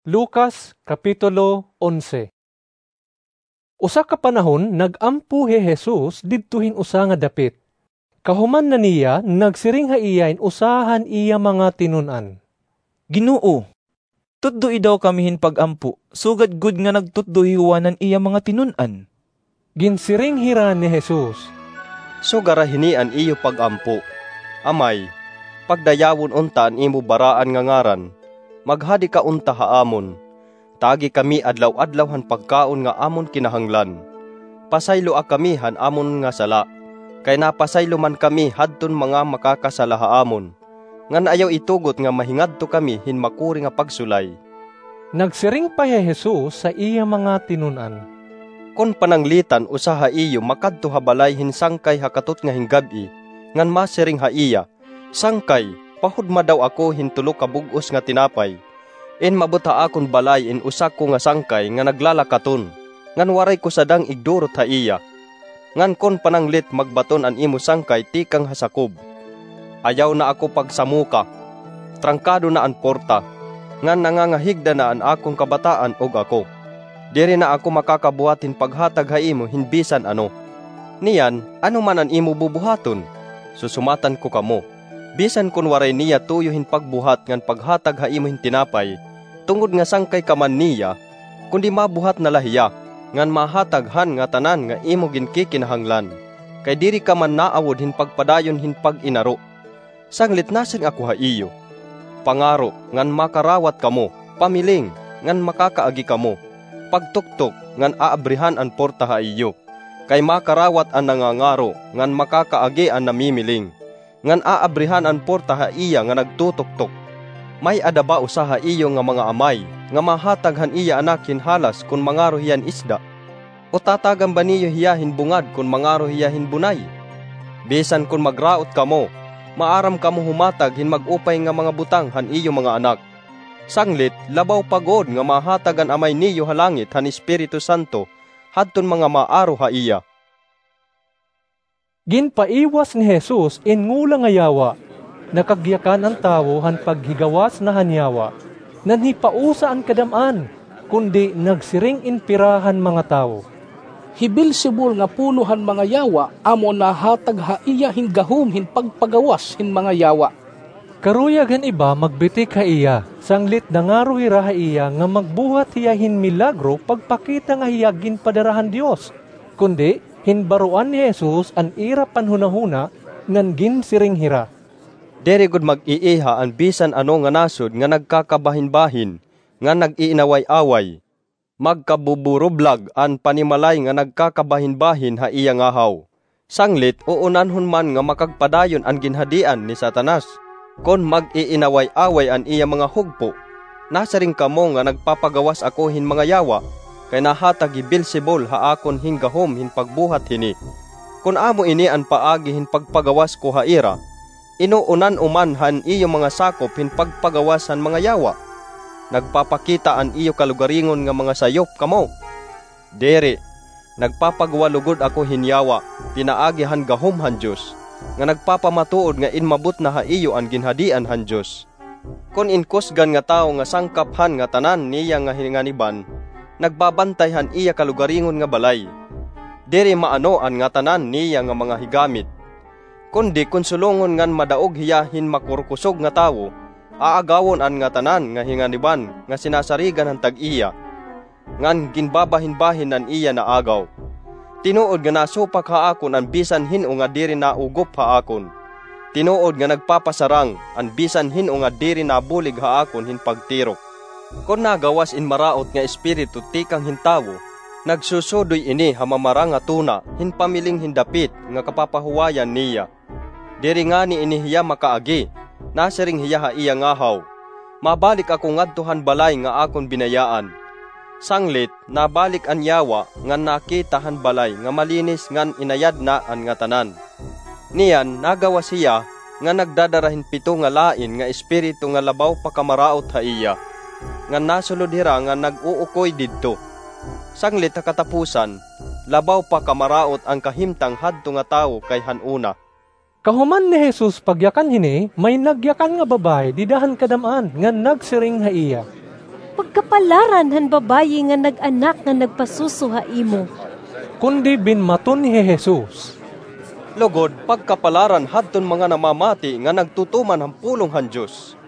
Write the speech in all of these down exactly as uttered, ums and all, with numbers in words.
Lucas, Kapitulo onse. Usa ka panahon, nag-ampo hi Jesus didto hin usa nga dapit. Kahuman na niya, nagsiring ha iya in usa han iya mga tinun-an, "Ginoo, tudloi daw kami hin pag-ampo, sugad gud nga nagtutdo hi Juan han iya mga tinun-an." Ginsiring hira ni Jesus, "Sugara hini an iyo pag-ampo: Amay, pagdayawon unta an imo baraan nga ngaran, maghadi ka unta ha amon, tagi kami adlaw-adlaw han pagkaon nga amon kinahanglan. Pasayloa kami han amon nga sala, kay napasaylo man kami hadton mga makakasala ha amon, ngan ayaw itugot nga mahingadto kami hin makuri nga pagsulay." Nagsiring pa hi Jesus sa iya mga tinun-an, "Kon pananglitan usa ha iyo makadto ha balay hin sangkay ha katotnga hin gab-i, ngan masiring ha iya, 'Sangkay, pahudma daw ako hin tulo ka bug-os nga tinapay. Inmabot ha akon balay in usa ko nga sangkay nga naglalakaton, ngan waray ko sadang igdurot ha iya.' Ngan kon pananglit magbaton an imo sangkay tikang ha sakob, ayaw na ako pagsamoka. Trangkado na an porta, ngan nangangahigda na an akon kabataan ug ako. Diri na ako makakabuhat hin paghatag ha imo hin bisan ano. Niyan, ano man an imo bubuhaton? Susumatan ko kamo, bisan kon waray niya tuyo hin pagbuhat ngan paghatag ha imo hin tinapay, tungod nga sangkay ka man niya, kundi mabuhat na la hiya, ngan mahatag han ngatanan nga imo ginkikinahanglan, kay diri ka man naawod hin pagpadayon hin pag-inaro. Sanglit nasiring ako ha iyo, pangaro, ngan makarawat kamo; pamiling, ngan makakaagi kamo; pagtuktok, ngan aabrihan an porta ha iyo. Kay makarawat an nangangaro, ngan makakaagi an namimiling, ngan aabrihan an porta ha iya nga nagtutuktok. May-ada ba usa ha iyo nga mga amay nga mahatag han iya anak hin halas kon mangaro hiya hin isda? O tatagan ba niyo hiya hin bungad kon mangaro hiya hin bunay? Bisan kon magraot kamo, maaram kamo humatag hin mag-upay nga mga butang han iyo mga anak. Sanglit, labaw pa gud nga mahatag an Amay niyo ha langit han Espiritu Santo hadton mga maaro ha iya." Ginpaiwas ni Jesus in ngola nga yawa. Nakagyakan an tawo han paghigawas na han yawa. Nanhipausa an kadam-an, kundi nagsiring in pira han mga tawo, "Hi Beelzebul nga pulo han mga yawa amo an nahatag ha iya hin gahom hin pagpagawas hin mga yawa." Karuyag han iba magbitik ha iya, sanglit nangaro hira ha iya nga magbuhat hiya hin milagro pagpakita nga hiya ginpadara han Dios. Kundi, hinbaroan ni Jesus an ira panhunahuna, ngan ginsiring hira, "Diri gud mag-iiha an bisan ano nga nasod nga nagkakabahinbahin ngan nag-iinaway-away. Magkabuburublag an panimalay nga nagkakabahinbahin ha iya ngahaw. Sanglit, uunanhon man nga makagpadayon an ginhadian ni Satanas kon mag-iinaway-away an iya mga hugpo. Nasiring kamo nga nagpapagawas ako hin mga yawa, kay nahatag hi Beelzebul ha akon hin gahom hin pagbuhat hini. Kon amo ini an paagi hin pagpagawas ko ha ira, inuunan-o man han iyo mga sakop hin pagpagawas han mga yawa? Nagpapakita an iyo kalugaringon nga mga sayop kamo? Diri, nagpapagwa lugod ako hin yawa pinaagi han gahom han Dios, nga nagpapamatuod nga inmabot na ha iyo an ginhadian han Dios. Kon in kusgan nga tawo nga sangkap han ngatanan niya nga hinganiban nagbabantay han iya kalugaringon nga balay, diri maano an ngatanan niya nga mga higamit. Kundi kon sulongon ngan madaog hiya hin makurkusog nga tawo, aagawon an ngatanan nga hinganiban nga sinasarigan han tag-iya, ngan ginbabahinbahin an iya naagaw. Tinuod nga nasupak ha akon an bisan hin-o nga diri naugop ha akon. Tinuod nga nagpapasarang an bisan hin-o nga diri nabulig ha akon hin pagtirok. Kon nagawas in maraot nga espiritu tikang hin tawo, nagsusudoy ini ha mamarangatuna hin pamiling hin dapit nga kapapahuwayan niya. Diri ngani ini hiya makaagi. Nasiring hiya ha iya ngahaw, 'Mabalik ako ngadto han balay nga akon binayaan.' Sanglit, nabalik an yawa ngan nakita han balay nga malinis ngan inayad na an ngatanan. Niyan, nagawas hiya nga nagdadara hin pito nga lain nga espiritu nga labaw pa kamaraot ha iya, ngan nasulod hira nga nag-uukoy didto. Sanglit ha katapusan, labaw pa kamaraot an kahimtang hadto nga tawo kay han una." Kahuman ni Jesus pagyakan hini, may nagyakan nga babaye dida han kadam-an ngan nagsiring ha iya, Pagkapalaran han babayi nga nag-anak nga nagpasuso ha imo. Kundi binmaton hi Jesus, Lugod, pagkapalaran hadton mga namamati nga nagtutuman han pulong han Dios.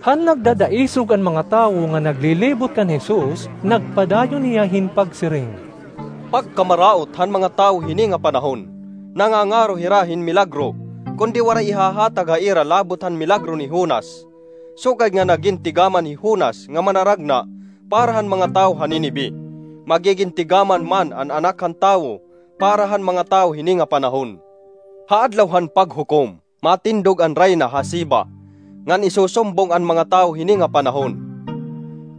Han nagdadaisog an mga tawo nga naglilibot kan Jesus, nagpadayon hiya hin pagsiring, Pagkamaraot han mga tawo hini nga panahon, nangangaro hira hin milagro, kundi waray ihahatag ha ira labot han milagro ni Jonas. Sugad nga nagin tigaman hi Jonas nga manaragna para han mga tawo ha Ninive, magigin tigaman man an Anak han Tawo para han mga tawo hini nga panahon. Ha Adlaw han Paghukom, matindog an rayna ha Sheba, ngan isusumbong an mga tawo hini nga panahon.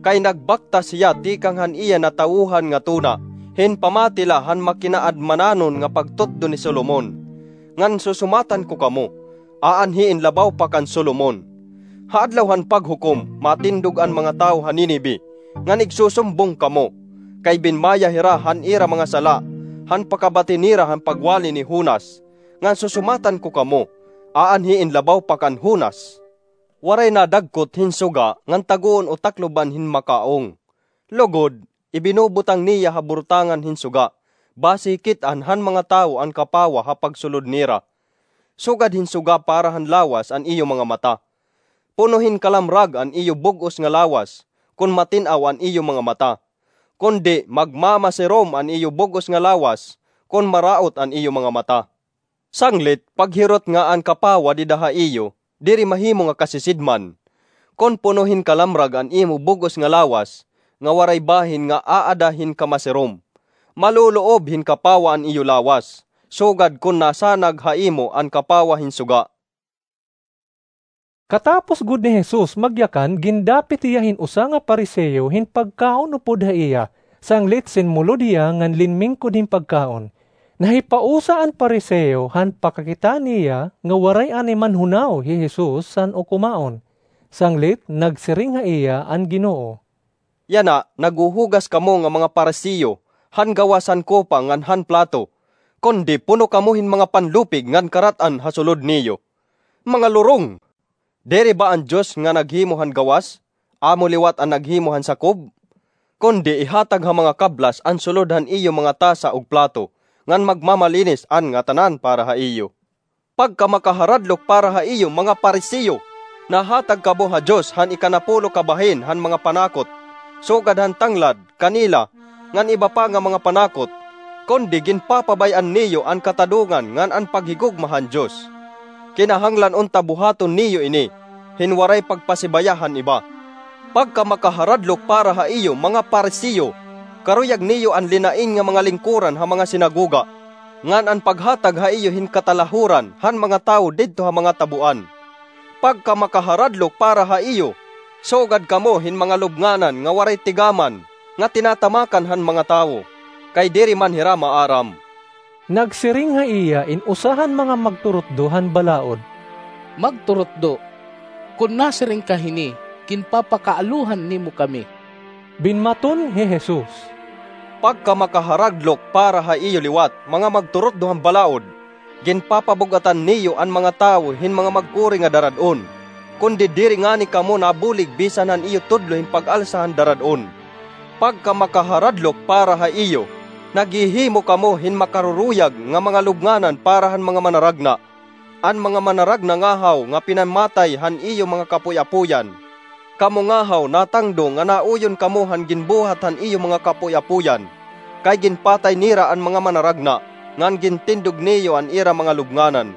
Kay nagbaktas hiya tikang han iya natawhan nga tuna, hin pamati la han makinaadmananon nga pagtutdo ni Solomon. Ngan susumatan ko kamo, aanhi in labaw pa kan Solomon. Ha Adlaw han Paghukom, matindog an mga tawo ha Ninive, ngan igsusumbong kamo, kay binmaya hira han ira mga sala, han pakabati nira han pagwali ni Jonas. Ngan susumatan ko kamo, aanhi in labaw pa kan Jonas. Waray nadagkot hin suga ngan tagoon o takloban hin makaong. Lugod, ibinubutang niya ha burtangan hin suga, basi kit-an han mga tawo an kapawa ha pagsulod nira. Sugad hin suga para han lawas an iyo mga mata. Puno hin kalamrag an iyo bug-os nga lawas, kon matin-aw an iyo mga mata. Kundi magmamasirom an iyo bug-os nga lawas, kon maraot an iyo mga mata. Sanglit, paghirot nga an kapawa dida ha iyo, diri mahimo nga kasisidman. Kon puno hin kalamrag an imo bug-os nga lawas, nga waray bahin nga aada hin kamasirom, maluloob hin kapawa an iyo lawas, sugad kon nasanag ha imo an kapawa hin suga. Katapos gud ni Jesus magyakan, gindapit hiya hin usa nga Pariseo hin pagkaon upod ha iya, sanglit sinmulod hiya ngan linmingkod hin pagkaon. Nahipausa an Pariseo han pakakita niya nga waray anay manhunaw hi Jesus san ukumaon. Sanglit, nagsiring ha iya an Ginoo, Yana, naghuhugas kamo nga mga Pariseo han gawas han kopa ngan han plato, kundi puno kamo hin mga panlupig ngan karat-an ha sulod niyo. Mga lurong! Diri ba an Dios nga naghimo han gawas? Amo liwat an naghimo han sakob? Kundi ihatag ha mga kablas an sulod han iyo mga tasa ug plato, ngan magmamalinis an ngatanan para ha iyo. Pagkamakaharadlok para ha iyo, mga Pariseo! Nahatag kamo ha Dios han ikanapulo ka bahin han mga panakot, sugad han tanglad, kanela, ngan iba pa nga mga panakot, kundi ginpapabay-an niyo an katadongan ngan an paghigugma han Dios. Kinahanglan unta buhaton niyo ini, hin waray pagpasibaya han iba. Pagkamakaharadlok para ha iyo, mga Pariseo! Karuyag niyo an linain nga mga lingkoran ha mga sinagoga, ngan an paghatag ha iyo hin katalahuran han mga tawo didto ha mga taboan. Pagkamakaharadlok para ha iyo! Sugad kamo hin mga lubnganan nga waray tigaman, nga tinatamakan han mga tawo, kay diri man hira maaram. Nagsiring ha iya in usa han mga magturutdo han balaod, Magturutdo, kon nasiring ka hini, ginpapakaaluhan nimo kami. Binmaton hi Jesus, Pagkamakaharadlok para ha iyo liwat, mga magturutdo han balaod! Ginpapabug-atan niyo an mga tawo hin mga magkuri nga darad-on, kundi diri ngani kamo nabulig bisan han iyo tudlo hin pag-alsa han darad-on. Pagkamakaharadlok para ha iyo! Naghihimo kamo hin makaruruyag nga mga lubnganan para han mga manaragna, an mga manaragna ngahaw nga pinamatay han iyo mga kapoy-apoyan. Kamo ngahaw natangdo nga nauyon kamo han ginbuhat han iyo mga kapoy-apoyan, kay ginpatay nira an mga manaragna, ngan gintindog niyo an ira mga lubnganan.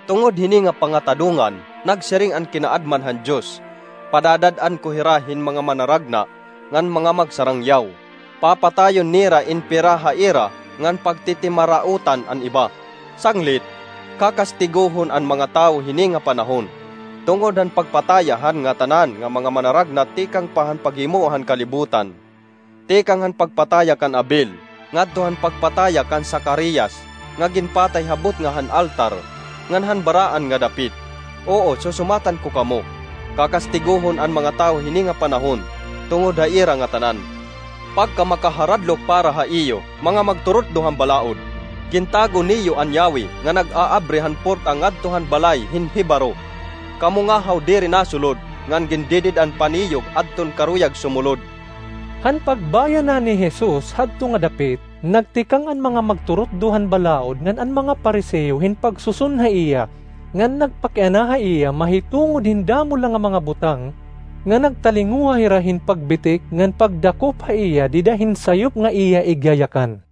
Tungod hini nga pangatadongan, nagsiring an kinaadman han Dios, Padadad-an ko hira hin mga manaragna ngan mga magsarangyaw. Papatayon nira in pira ha ira ngan pagtitimaraotan an iba. Sanglit, kakastigohon an mga tawo hini nga panahon, tungod han pagpataya han ngatanan nga mga manaragna tikang pa han paghimoa han kalibutan, tikang han pagpataya kan Abel ngadto han pagpataya kan Zacarias nga ginpatay ha butnga han altar, ngan han baraan nga dapit. Oo, susumatan ko kamo, kakastigohon an mga tawo hini nga panahon tungod ha ira ngatanan. Pagkamakaharadlok para ha iyo, mga magturutdo han balaod! Gintago niyo an yawi nga nag-aabri han porta ngadto han balay hin Jebaro. Kamo ngahaw diri nasulod, ngan gindidid-an pa niyo adton karuyag sumulod. Han pagbayanan ni Jesus hadto nga dapit, nagtikang an mga magturutdo han balaod ngan an mga Fariseo hin pagsuson ha iya, ngan nagpakiana ha iya mahitungod hin damo la nga mga butang, nga nagtalinguha hira hin pagbitik ngan pagdakop ha iya dida hin sayop nga iya igyayakan.